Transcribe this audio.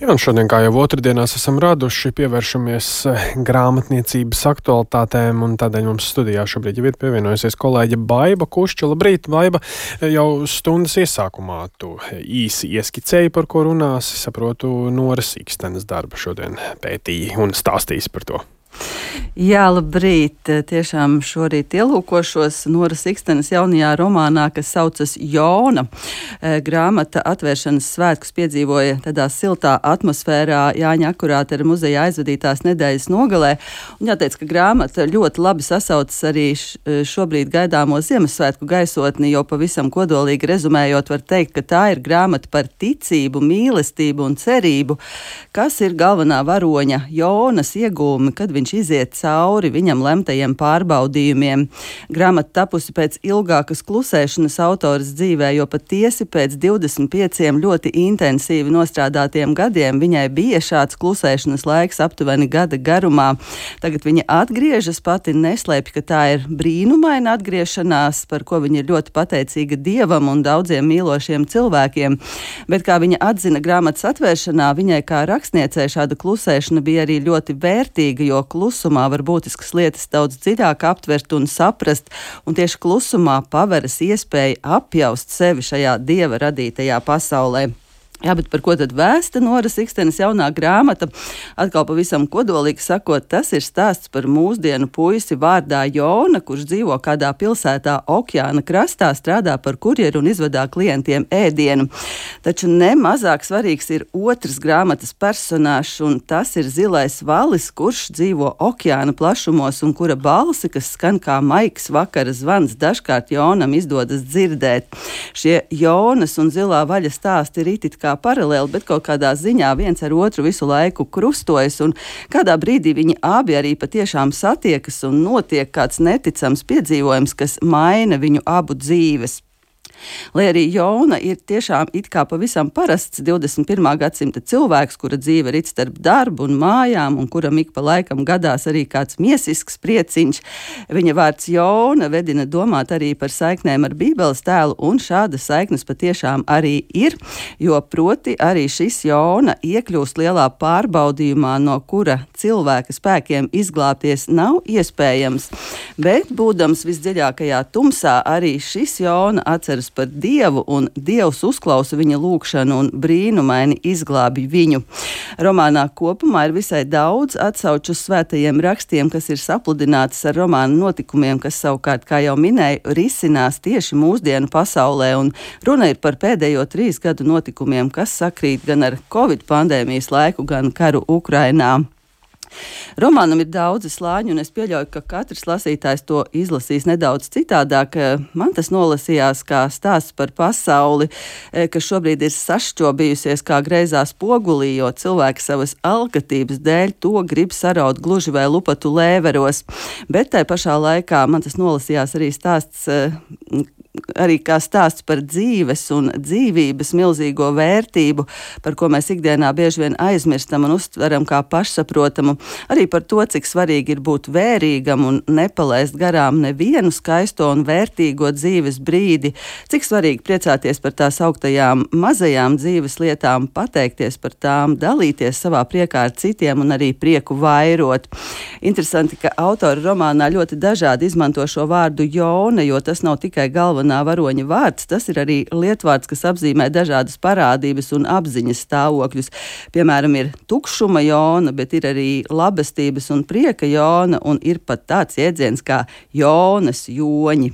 Jā, un šodien, kā jau otrdienās esam raduši, pievēršamies grāmatniecības aktualitātēm, un tādēļ mums studijā šobrīd jau ir pievienojusies kolēģe Baiba Kušča. Labrīt, Baiba, jau stundas iesākumā tu īsi ieskicēji, par ko runāsi. Saprotu, Noras Ikstenes darbu šodien pētīji un stāstīsi par to. Jā, labrīt. Tiešām šorīt ielūkošos Noras Ikstenes jaunajā romānā, kas saucas Jona. Grāmata atvēršanas svētkus piedzīvoja tādā siltā atmosfērā Jāņa Akurātera muzeja aizvadītās nedēļas nogalē. Un jāteic, ka grāmata ļoti labi sasaucas arī šobrīd gaidāmo Ziemassvētku gaisotni, jo pavisam kodolīgi rezumējot var teikt, ka tā ir grāmata par ticību, mīlestību un cerību, kas ir galvenā varoņa Jonas iegūmi, kad viņš iziet cauri viņam lemtajiem pārbaudījumiem. Grāmata tapusi pēc ilgākas klusēšanas autoras dzīvē, jo patiesi pēc 25 ļoti intensīvi nostrādātiem gadiem viņai bija šāds klusēšanas laiks aptuveni gada garumā. Tagad viņa atgriežas, pati neslēpj, ka tā ir brīnumaina atgriešanās, par ko viņa ir ļoti pateicīga Dievam un daudziem mīlošiem cilvēkiem. Bet, kā viņa atzina grāmatas atvēršanā, viņai kā rakstniecei šāda klusēšana bija arī ļoti vērtīga, jo klusumā var būtiskas lietas daudz dziļāk aptvert un saprast, un tieši klusumā paveras iespēja apjaust sevi šajā Dieva radītajā pasaulē. Jā, bet par ko tad vēsta Noras Ikstenes jaunā grāmata? Atkal pavisam kodolīgi sakot, tas ir stāsts par mūsdienu puisi vārdā Jona, kurš dzīvo kādā pilsētā okeāna krastā, strādā par kurjeru un izvadā klientiem ēdienu. Taču nemazāk svarīgs ir otrs grāmatas personāžs, un tas ir zilais valis, kurš dzīvo okeāna plašumos un kura balsi, kas skan kā maigs vakara zvans, dažkārt Jonam izdodas dzirdēt. Šie Jonas un zilā vaļa stāsti ir itit kā paralēli, bet kaut kādā ziņā viens ar otru visu laiku krustojas, un kādā brīdī viņi abi arī patiešām satiekas un notiek kāds neticams piedzīvojums, kas maina viņu abu dzīves. Lai arī Jona ir tiešām it kā pavisam parasts 21. gadsimta cilvēks, kura dzīve rit starp darbu un mājām, un kuram ik pa laikam gadās arī kāds miesisks prieciņš, viņa vārds Jona vedina domāt arī par saiknēm ar Bībeles tēlu, un šādas saiknes patiešām arī ir, jo proti arī šis Jona iekļūst lielā pārbaudījumā, no kura cilvēka spēkiem izglābties nav iespējams, bet būdams visdziļākajā tumsā, arī šis Jona atceras par Dievu, un Dievs uzklausa viņa lūgšanu un brīnumaini izglābi viņu. Romānā kopumā ir visai daudz atsauču uz svētajiem rakstiem, kas ir sapludinātas ar romāna notikumiem, kas savukārt, kā jau minēju, risinās tieši mūsdienu pasaulē, un runa ir par pēdējo 3 gadu notikumiem, kas sakrīt gan ar Covid pandēmijas laiku, gan karu Ukrainā. Romānam ir daudzi slāņi, un es pieļauju, ka katrs lasītājs to izlasīs nedaudz citādāk. Man tas nolasījās kā stāsts par pasauli, kas šobrīd ir sašķobījusies kā greizā spogulī, jo cilvēki savas alkatības dēļ to grib saraut gluži vai lupatu lēveros. Bet tai pašā laikā man tas nolasījās arī kā stāsts par dzīves un dzīvības milzīgo vērtību, par ko mēs ikdienā bieži vien aizmirstam un uztveram kā pašsaprotamu, arī par to, cik svarīgi ir būt vērīgam un nepalaist garām nevienu skaisto un vērtīgo dzīves brīdi, cik svarīgi priecāties par tās augtajām mazajām dzīves lietām, pateikties par tām, dalīties savā priekā ar citiem un arī prieku vairot. Interesanti, ka autori romānā ļoti dažādi izmanto šo vārdu Jona, jo tas nav tikai galvenā varoņa vārds, tas ir arī lietvārds, kas apzīmē dažādas parādības un apziņas stāvokļus. Piemēram, ir tukšuma Jona, bet ir arī labestības un prieka Jona, un ir pat tāds jēdziens kā Jonas joņi.